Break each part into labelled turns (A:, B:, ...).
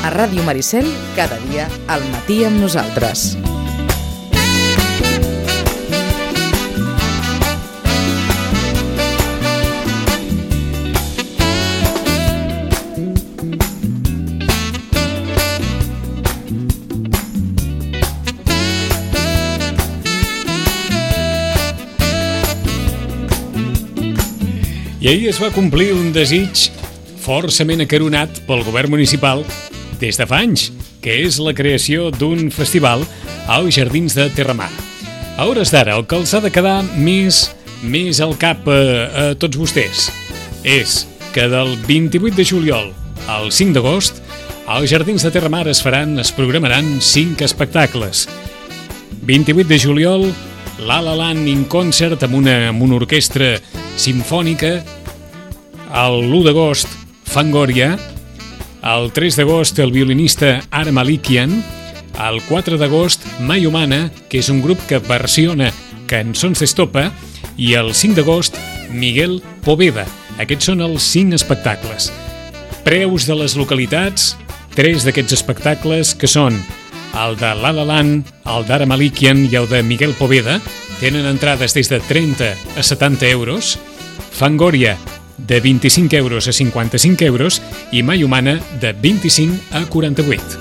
A: A Ràdio Maricel, cada dia al matí amb nosaltres.
B: I ahir es va complir un desig forçament acaronat pel govern municipal des de fa anys, que és la creació d'un festival als Jardins de Terramar. A hores d'ara, el que els ha de quedar més al cap a tots vostès és que del 28 de juliol al 5 d'agost als Jardins de Terramar es programaran 5 espectacles. 28 de juliol, La La Land in Concert amb una orquestra simfònica. El 1 d'agost, Fangoria. El 3 d'agost, el violinista Ara Malikian. El 4 d'agost, Mai Humana, que és un grup que versiona cançons d'estopa. I el 5 d'agost, Miguel Poveda. Aquests són els 5 espectacles. Preus de les localitats, 3 d'aquests espectacles, que són el de La La Land, el d'Ara Malikian i el de Miguel Poveda, tenen entrades des de 30 a 70 euros, Fangoria de 25 euros a 55 euros i Mai Humana de 25 a 48.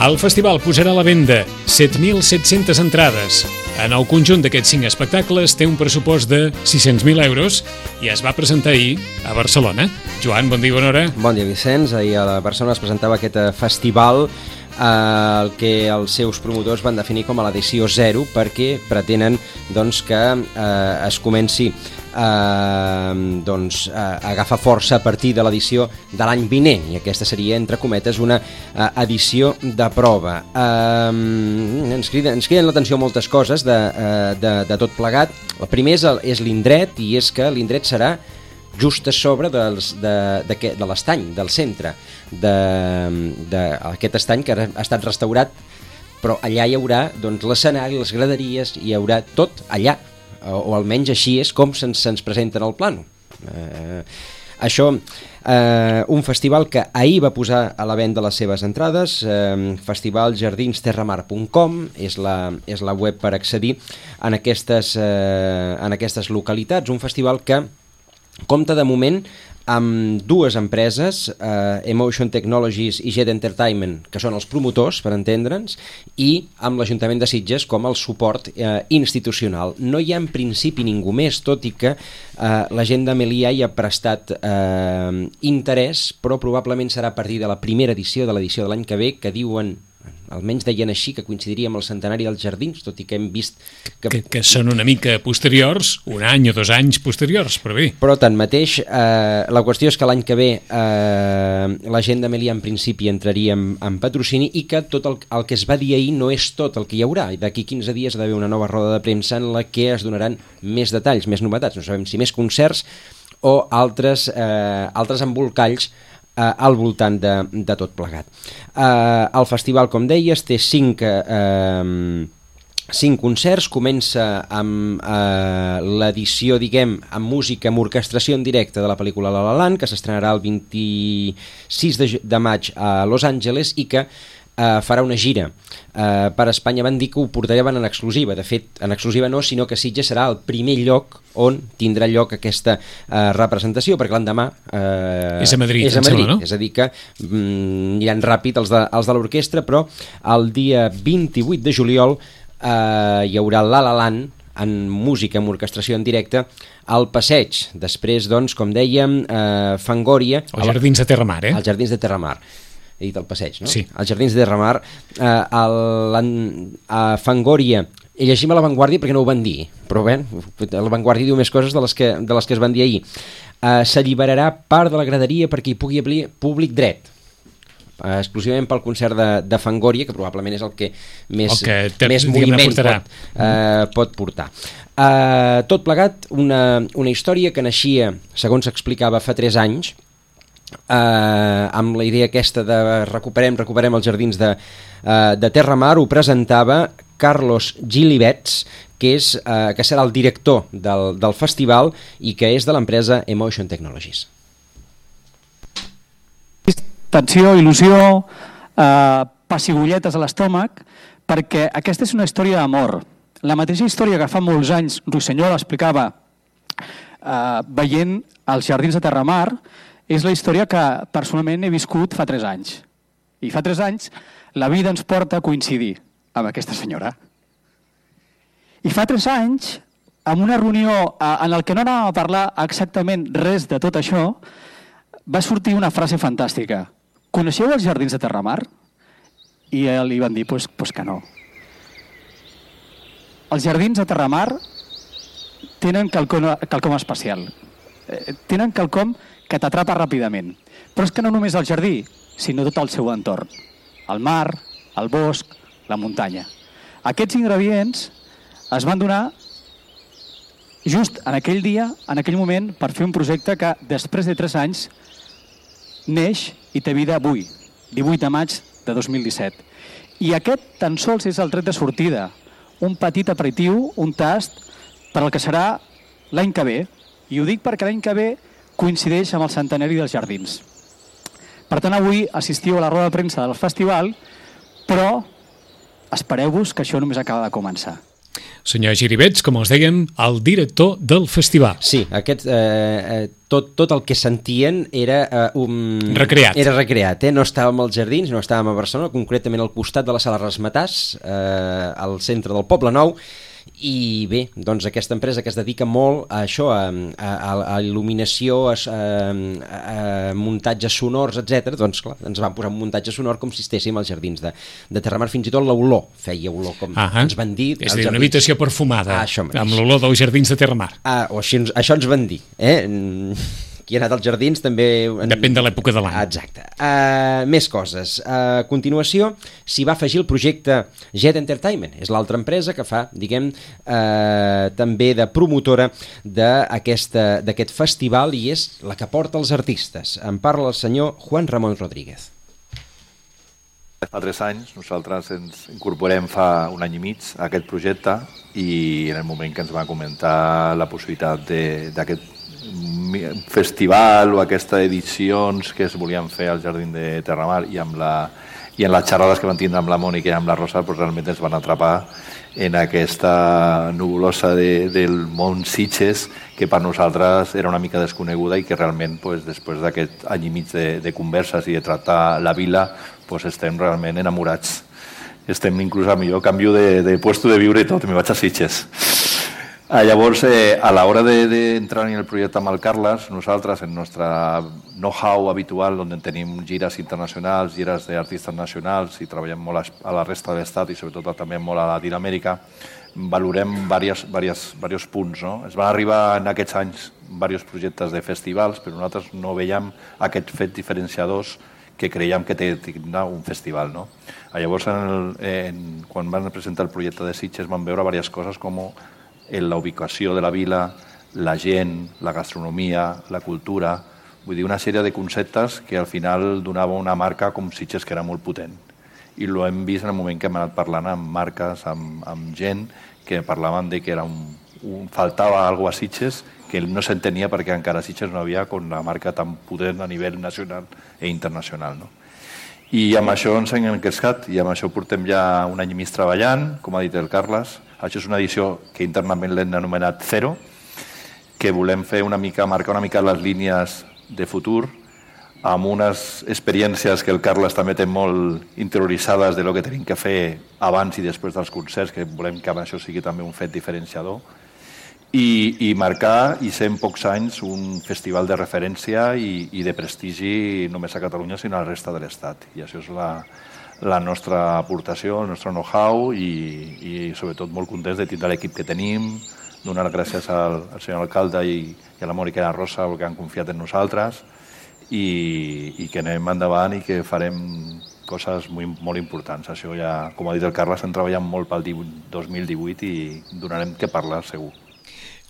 B: El festival posarà a la venda 7.700 entrades. En el conjunt d'aquests 5 espectacles té un pressupost de 600.000 euros i es va presentar ahir a Barcelona. Joan, bon dia i bona hora.
C: Bon dia, Vicenç. Ahir a Barcelona es presentava aquest festival, el que els seus promotors van definir com a l'edició 0, perquè pretenen que es comenci a agafar força a partir de l'edició de l'any vinent, i aquesta seria, entre cometes, una edició de prova. Ens criden l'atenció moltes coses de tot plegat. El primer és l'indret, i és que l'indret serà just a sobre de l'estany, del centre d'aquest estany que ha estat restaurat, però allà hi haurà l'escenari, les graderies, hi haurà tot allà, o almenys així és com se'ns presenta en el plano. Això, un festival que ahir va posar a la venda les seves entrades, festivaljardinesterramar.com és la web per accedir en aquestes localitats. Un festival que compta de moment amb 2 empreses, Emotion Technologies i Jet Entertainment, que són els promotors, per entendre'ns, i amb l'Ajuntament de Sitges com el suport institucional. No hi ha en principi ningú més, tot i que la gent de Melià hi ha prestat interès, però probablement serà a partir de la primera edició, de l'edició de l'any que ve, que diuen, almenys deien així, que coincidiria amb el centenari dels Jardins, tot i que hem vist
B: que són una mica posteriors, un any o 2 anys posteriors, però bé.
C: Però tanmateix, la qüestió és que l'any que ve la gent de Melià en principi entraria en patrocini, i que tot el que es va dir ahir no és tot el que hi haurà. D'aquí 15 dies ha d'haver una nova roda de premsa en la que es donaran més detalls, més novetats. No sabem si més concerts o altres embolcalls al voltant de tot plegat. El festival, com deies, té 5 concerts. Comença amb l'edició, amb música, amb orquestració en directe de la pel·lícula La La Land, que s'estrenarà el 26 de maig a Los Angeles, i que farà una gira per Espanya. Van dir que ho portaran en exclusiva. De fet, en exclusiva no, sinó que Sitges serà el primer lloc on tindrà lloc aquesta representació, perquè l'endemà
B: és a Madrid, sembla, no?
C: És a dir, que aniran ràpid els de l'orquestra, però el dia 28 de juliol hi haurà La La Land en música, amb orquestració en directe, al Passeig. Després, com dèiem, Fangoria...
B: Els Jardins de Terramar,
C: Els Jardins de Terramar. He dit el Passeig, no?
B: Sí.
C: Els Jardins de Terramar, a Fangoria. Llegim a La Vanguardia perquè no ho van dir, però bé, La Vanguardia diu més coses de les que es van dir ahir. S'alliberarà part de la graderia perquè hi pugui haver públic dret, exclusivament pel concert de Fangoria, que probablement és el que més moviment pot portar. Tot plegat, una història que naixia, segons s'explicava, fa 3 anys, amb la idea aquesta de recuperem els Jardins de Terramar. Ho presentava Carlos Gilibets, que serà el director del festival i que és de l'empresa Emotion Technologies.
D: tensió, il·lusió, pessigolletes a l'estómac, perquè aquesta és una història d'amor. La mateixa història que fa molts anys Ruisenyol explicava veient els Jardins de Terramar és la història que personalment he viscut fa 3 anys. I fa 3 anys la vida ens porta a coincidir amb aquesta senyora. I fa 3 anys, en una reunió en el que no anàvem a parlar exactament res de tot això, va sortir una frase fantàstica. Coneixeu els Jardins de Terramar? I li van dir pues que no. Els Jardins de Terramar tenen quelcom especial. Tenen quelcom que t'atrapa ràpidament. Però és que no només el jardí, sinó tot el seu entorn. El mar, el bosc, la muntanya. Aquests ingredients es van donar just en aquell dia, en aquell moment, per fer un projecte que després de 3 anys neix i té vida avui, 18 de maig de 2017. I aquest tan sols és el tret de sortida, un petit aperitiu, un tast, per al que serà l'any que ve. I ho dic perquè l'any que ve coincideix amb el centenari dels Jardins. Per tant, avui assistiu a la roda de premsa del festival, però espereu-vos que això només acaba de començar.
B: Senyor Giribets, com us dèiem, el director del festival.
C: Sí, tot el que sentien era
B: recreat.
C: Era recreat, no estàvem als Jardins, no estàvem a Barcelona, concretament al costat de la Sala Rasmatàs, al centre del Poble Nou, i bé, doncs aquesta empresa que es dedica molt a això, a il·luminació, a muntatges sonors, etc. Doncs clar, ens van posar un muntatge sonor com si estéssim als Jardins de Terramar, fins i tot l'olor, feia olor, com ens van dir.
B: És a dir, una habitació perfumada, amb l'olor dels Jardins de Terramar.
C: O així, això ens van dir, qui ha anat als Jardins també...
B: Depèn de l'època de l'any.
C: Exacte. Més coses. A continuació, s'hi va afegir el projecte Jet Entertainment. És l'altra empresa que fa, diguem, també de promotora d'aquest festival i és la que porta els artistes. En parla el senyor Juan Ramon Rodríguez.
E: Fa 3 anys nosaltres ens incorporem fa 1 any i mig a aquest projecte i en el moment que ens va comentar la possibilitat d'aquest festival o aquestes edicions que es volien fer al Jardín de Terramar i en les xerrades que van tindre amb la Mònica i amb la Rosa, doncs realment ens van atrapar en aquesta nubulosa del món Sitges que per nosaltres era una mica desconeguda i que realment després d'aquest any i mig de converses i de tractar la vila estem realment enamorats. Estem inclús a millor canvio de puesto de viure i tot, me vaig a Sitges. Llavors, a l'hora d'entrar en el projecte amb el Carles, nosaltres, en el nostre know-how habitual, on tenim gires internacionals, gires d'artistes nacionals i treballem molt a la resta de l'Estat i sobretot també molt a Latinoamèrica, valorem diversos punts. Es van arribar en aquests anys diversos projectes de festivals, però nosaltres no veiem aquest fet diferenciadors que creiem que té un festival. Llavors, quan van presentar el projecte de Sitges, van veure diverses coses com la ubicació de la vila, la gent, la gastronomia, la cultura, vull dir, una sèrie de conceptes que al final donava una marca com Sitges que era molt potent. I ho hem vist en el moment que hem anat parlant amb marques, amb gent que parlaven de que faltava alguna cosa a Sitges que no s'entenia perquè encara a Sitges no havia una marca tan potent a nivell nacional i internacional. I amb això ens hem encrescat i amb això portem ja 1 any i mig treballant, com ha dit el Carles. Això és una edició que internament l'hem anomenat Zero, que volem fer marcar una mica les línies de futur amb unes experiències que el Carles també té molt interioritzades de lo que tenim que fer abans i després dels concerts, que volem que això sigui també un fet diferenciador, i marcar, i ser en pocs anys, un festival de referència i de prestigi només a Catalunya, sinó a la resta de l'Estat. I això és la nostra aportació, el nostre know-how i sobretot molt contents de tindre l'equip que tenim, donar gràcies al senyor alcalde i a la Mònica i a la Rosa perquè han confiat en nosaltres i que anem endavant i que farem coses molt importants. Això ja, com ha dit el Carles, estem treballant molt pel 2018 i donarem que parlar segur.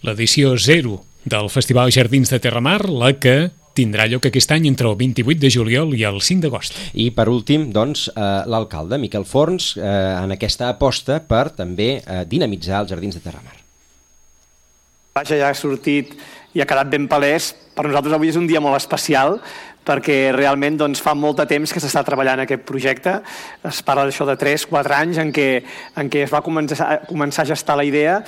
B: L'edició 0 del Festival Jardins de Terramar, la que tindrà lloc aquest any entre el 28 de juliol i el 5 d'agost.
C: I per últim, doncs, l'alcalde Miquel Forns en aquesta aposta per també dinamitzar els Jardins de Terramar.
F: Vaja, ja ha sortit i ha quedat ben palès. Per nosaltres avui és un dia molt especial perquè realment doncs, fa molt de temps que s'està treballant aquest projecte. Es parla d'això de 3-4 anys en què es va començar a gestar la idea,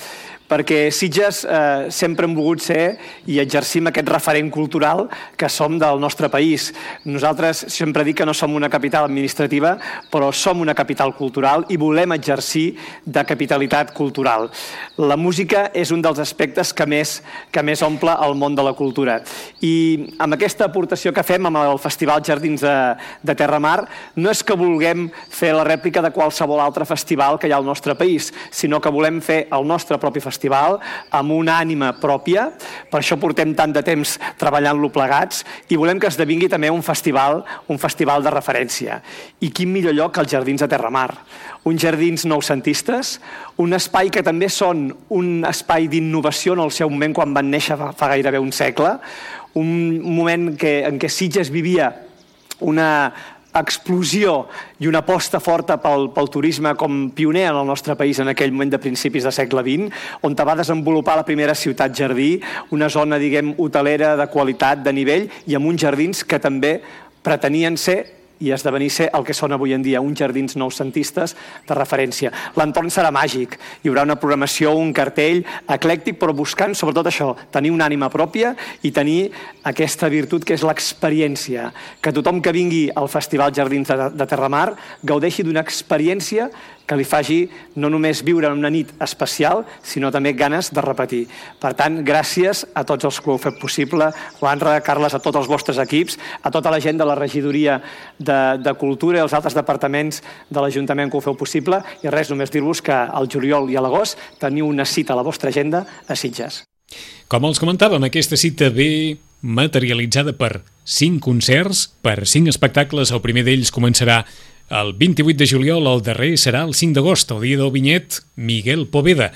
F: perquè Sitges sempre hem volgut ser i exercim aquest referent cultural que som del nostre país. Nosaltres sempre dic que no som una capital administrativa, però som una capital cultural i volem exercir de capitalitat cultural. La música és un dels aspectes que més omple el món de la cultura. I amb aquesta aportació que fem amb el Festival Jardins de Terramar, no és que vulguem fer la rèplica de qualsevol altre festival que hi ha al nostre país, sinó que volem fer el nostre propi festival amb una ànima pròpia. Per això portem tant de temps treballant-lo plegats i volem que esdevingui també un festival de referència. I quin millor lloc que els Jardins de Terramar. Uns jardins noucentistes, un espai que també són un espai d'innovació en el seu moment quan van néixer fa gairebé un segle, un moment en què Sitges vivia una explosió i una aposta forta pel turisme com pioner en el nostre país en aquell moment de principis del segle XX, on va desenvolupar la primera ciutat jardí, una zona, diguem, hotelera de qualitat, de nivell, i amb uns jardins que també pretenien ser i esdevenir ser el que són avui en dia, uns jardins noucentistes de referència. L'entorn serà màgic, hi haurà una programació, un cartell eclèctic, però buscant sobretot això, tenir una ànima pròpia i tenir aquesta virtut que és l'experiència, que tothom que vingui al Festival Jardins de Terramar gaudeixi d'una experiència que li faci no només viure en una nit especial, sinó també ganes de repetir. Per tant, gràcies a tots els que ho heu fet possible, Juanra, Carles, a tots els vostres equips, a tota la gent de la regidoria de Cultura i els altres departaments de l'Ajuntament que ho feu possible, i res, només dir-vos que al juliol i a l'agost teniu una cita a la vostra agenda a Sitges.
B: Com els comentàvem, aquesta cita ve materialitzada per 5 concerts, per 5 espectacles. El primer d'ells començarà el 28 de juliol, el darrer serà el 5 d'agost, el dia del vinyet Miguel Poveda,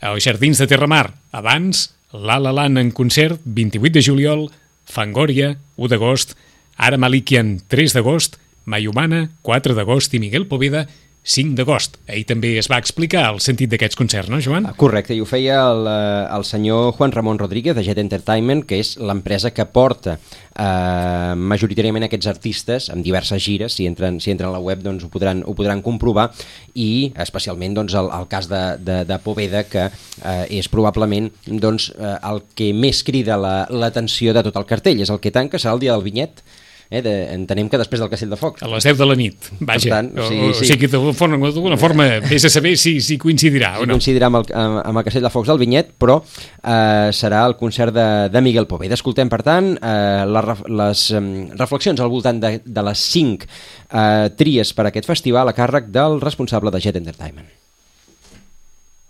B: als Jardins de Terramar. Abans, La La Land en concert, 28 de juliol, Fangoria, 1 d'agost, Ara Malikian, 3 d'agost, Mayumana, 4 d'agost i Miguel Poveda, 5 d'agost. Ahir també es va explicar el sentit d'aquests concerts, no, Joan?
C: Correcte, i ho feia el senyor Juan Ramon Rodríguez de Jet Entertainment, que és l'empresa que porta majoritàriament aquests artistes amb diverses gires. Si entren a la web doncs ho podran comprovar, i especialment doncs, el cas de Poveda, que és probablement doncs, el que més crida l'atenció de tot el cartell. És el que tanca, serà el dia del vinyet. Entenem que després del Castell de Focs.
B: A les 10 de la nit, vaja.
C: Tant, sí.
B: O sigui, d'alguna forma vés a saber si coincidirà o no.
C: Coincidirà amb el Castell de Focs del vinyet, però serà el concert de Miguel Poveda. Escoltem, per tant, les reflexions al voltant de les 5 tries per a aquest festival a càrrec del responsable de Jet Entertainment.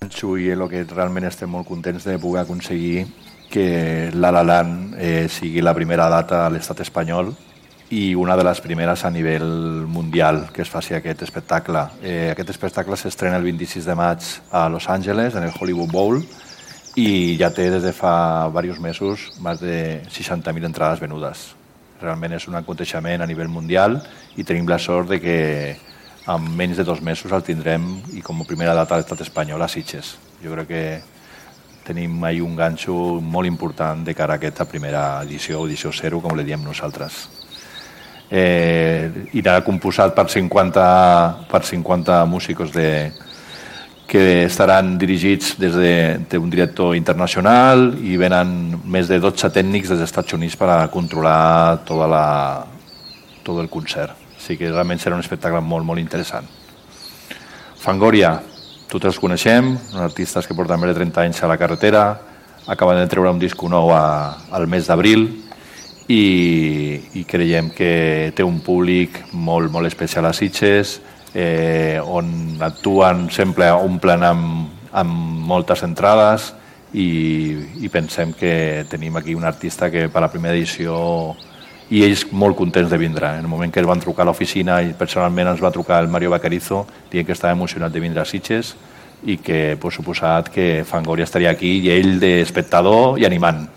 E: I el que realment estem molt contents de poder aconseguir que La La Land sigui la primera data a l'estat espanyol i una de les primeres a nivell mundial que es faci aquest espectacle. Aquest espectacle s'estrena el 26 de maig a Los Angeles, en el Hollywood Bowl, i ja té des de fa diversos mesos més de 60.000 entrades venudes. Realment és un aconteixement a nivell mundial i tenim la sort de que en menys de 2 mesos el tindrem i com a primera data a l'estat espanyol a Sitges. Jo crec que tenim ahí un ganxo molt important de cara a aquesta primera edició, edició 0, com li diem nosaltres. Irà composat per 50 músicos que estaran dirigits des d'un director internacional i venen més de 12 tècnics dels Estats Units per a controlar tot el concert. Així que realment serà un espectacle molt, molt interessant. Fangoria, tots els coneixem, artistes que porten més de 30 anys a la carretera, acaben de treure un disc nou al mes d'abril i creiem que té un públic molt, molt especial a Sitges, on actuen, sempre omplen amb moltes entrades i pensem que tenim aquí un artista que per la primera edició, i ells molt contents de vindre. En el moment que ens van trucar a l'oficina i personalment ens va trucar el Mario Bacarizo dient que estava emocionat de vindre a Sitges i que, per suposat, que Fangoria estaria aquí i ell d'espectador i animant.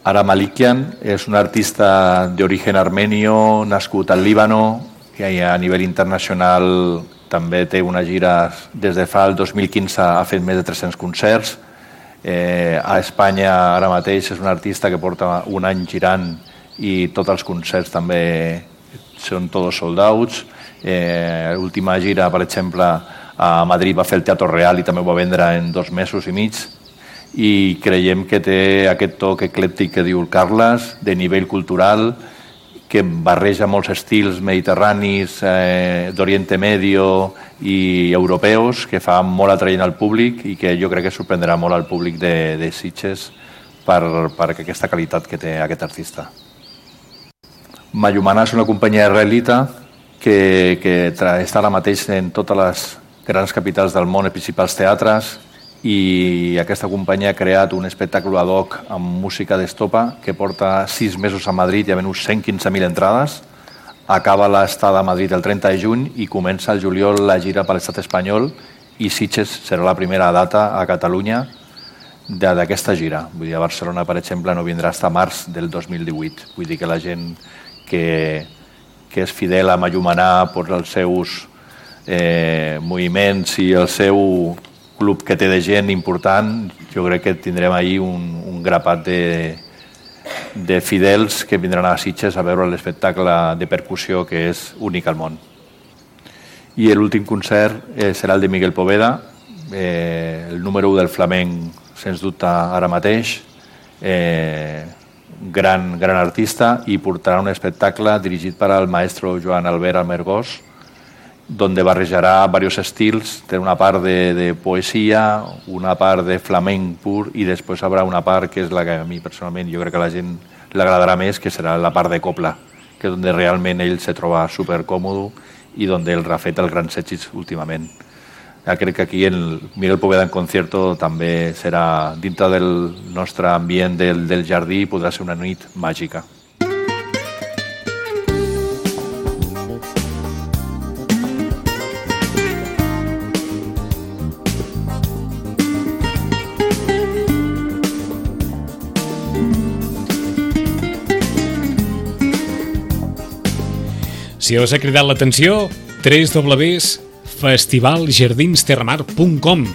E: Ara Malikian és un artista d'origen armenio, nascut al Líbano, que a nivell internacional també té una gira des de fa el 2015, ha fet més de 300 concerts. A Espanya ara mateix és un artista que porta un any girant i tots els concerts també són tots sold outs. L'última gira, per exemple, a Madrid va fer el Teatro Real i també ho va vendre en 2 mesos i mig, i creiem que té aquest toc eclèptic que diu el Carles, de nivell cultural, que barreja molts estils mediterranis, d'Oriente Medio i europeus, que fa molt atraient al públic i que jo crec que sorprendrà molt al públic de Sitges per aquesta qualitat que té aquest artista. Mayumana és una companyia israelita que està ara mateix en totes les grans capitals del món, els principals teatres, i aquesta companyia ha creat un espectacle ad hoc amb música d'estopa que porta 6 mesos a Madrid i ha venut 115.000 entrades. Acaba l'estada a Madrid el 30 de juny i comença el juliol la gira per l'estat espanyol, i Sitges serà la primera data a Catalunya d'aquesta gira. Vull dir, a Barcelona, per exemple, no vindrà fins a març del 2018. Vull dir que la gent que és fidel a Mayumana per els seus moviments i el seu club que té de gent important, jo crec que tindrem ahir un grapat de fidels que vindran a Sitges a veure l'espectacle de percussió que és únic al món. I l'últim concert serà el de Miguel Poveda, el número 1 del flamenc, sens dubte, ara mateix, gran artista, i portarà un espectacle dirigit per al maestro Joan Albert Almergós, donde barrejarà diversos estils. Té una part de poesia, una part de flamenc pur, i després haurà una part que és la que a mi personalment jo crec que a la gent li agradarà més, que serà la part de copla, que és on realment ell se troba supercòmode i on ell ha fet els grans èxits últimament. Crec que aquí el Miguel Poveda en concierto també serà, dintre del nostre ambient del jardí, podrà ser una nit màgica.
B: Si us ha cridat l'atenció, www.festivaljardinesterramar.com.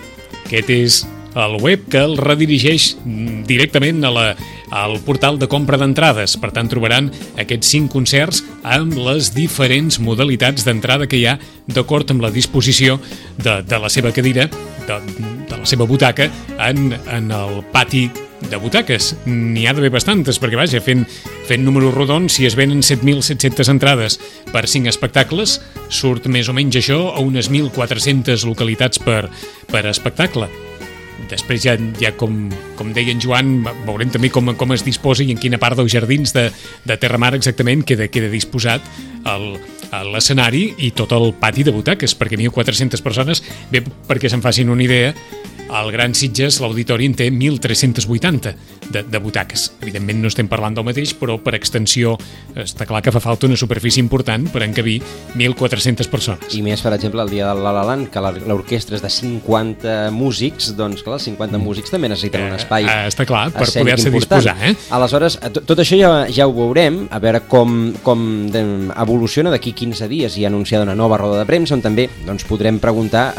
B: Aquest és el web que el redirigeix directament al portal de compra d'entrades. Per tant, trobaran aquests 5 concerts amb les diferents modalitats d'entrada que hi ha d'acord amb la disposició de la seva cadira, de la seva butaca, en el pati de butaques. N'hi ha d'haver bastantes, perquè vaja, fent números rodons, si es venen 7.700 entrades per 5 espectacles, surt més o menys això a unes 1.400 localitats per espectacle. Després ja com deia en Joan, veurem també com es disposa i en quina part dels jardins de Terramar exactament queda disposat l'escenari i tot el pati de butaques, perquè 1.400 persones, bé, perquè se'n facin una idea, al Gran Sitges l'auditori en té 1.380 de butaques. Evidentment no estem parlant del mateix, però per extensió està clar que fa falta una superfície important per encabir 1.400 persones.
C: I més, per exemple, el dia del La La Land, que l'orquestra és de 50 músics, doncs clar, els 50 músics també necessiten un espai
B: està clar, per poder-se disposar.
C: Aleshores, tot això ja ho veurem, a veure com evoluciona d'aquí 15 dies. I anunciada una nova roda de premsa on també podrem preguntar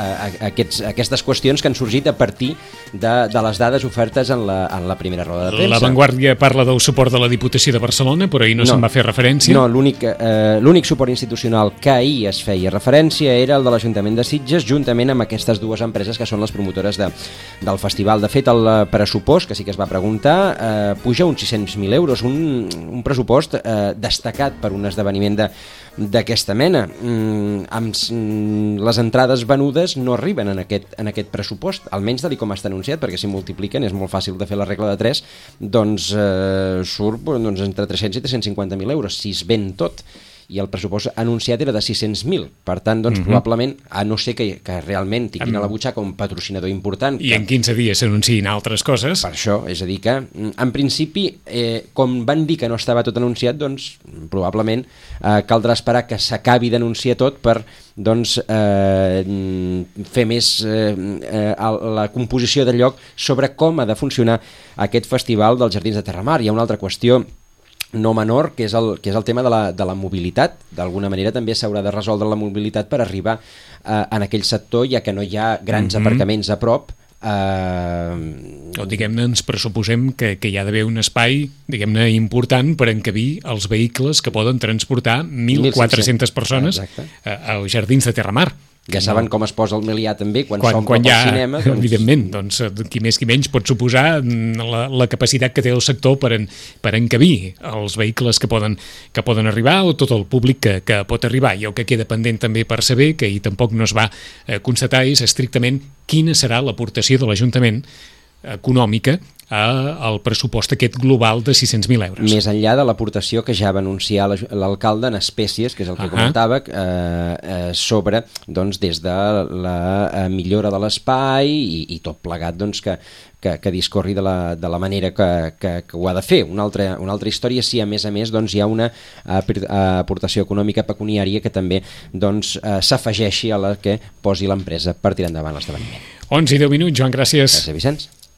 C: aquestes qüestions que han sorgit a partir de les dades ofertes en la primera roda de premsa.
B: La Vanguardia parla del suport de la Diputació de Barcelona, però ahir no se'n va fer referència.
C: No, l'únic suport institucional que ahir es feia referència era el de l'Ajuntament de Sitges, juntament amb aquestes dues empreses que són les promotores del festival. De fet, el pressupost, que sí que es va preguntar, puja uns 600.000 euros, un pressupost destacat per un esdeveniment d'aquesta mena. Les entrades venudes no arriben en aquest pressupost, almenys tal com està anunciat, perquè si multipliquen és molt fàcil de fer la regla de 3, doncs surt entre 300 i 350.000 euros, si es ven tot. I el pressupost anunciat era de 600.000. Per tant, probablement, a no ser que realment tinguin a la butxaca un patrocinador important.
B: I en 15 dies s'anunciïn altres coses.
C: Per això, és a dir que, en principi, com van dir que no estava tot anunciat, doncs, probablement caldrà esperar que s'acabi d'anunciar tot per fer més la composició de lloc sobre com ha de funcionar aquest festival dels Jardins de Terramar. Hi ha una altra qüestió no menor, que és el tema de la mobilitat. D'alguna manera també s'haurà de resoldre la mobilitat per arribar en aquell sector, ja que no hi ha grans aparcaments a prop,
B: O diguem-ne, ens pressuposem que hi ha d'haver un espai, diguem-ne, important per encabir els vehicles que poden transportar 1.400 persones als Jardins de Terramar.
C: Ja saben com es posa el Melià també quan s'omple pel cinema.
B: Doncs... Evidentment, doncs, qui més qui menys pot suposar la capacitat que té el sector per encabir els vehicles que poden arribar o tot el públic que pot arribar. I el que queda pendent també per saber, que ahir tampoc no es va constatar, és estrictament quina serà l'aportació de l'Ajuntament econòmica al pressupost aquest global de 600.000 euros.
C: Més enllà de l'aportació que ja va anunciar l'alcalde en espècies, que és el que comentava, sobre, doncs, des de la millora de l'espai i tot plegat, doncs, que discorri de la manera que ho ha de fer. Una altra història, si a més doncs, hi ha una aportació econòmica pecuniària que també doncs, s'afegeixi a la que posi l'empresa per tirar endavant l'esdeveniment.
B: 11 i 10 minuts, Joan, gràcies.
C: Gràcies, Vicenç.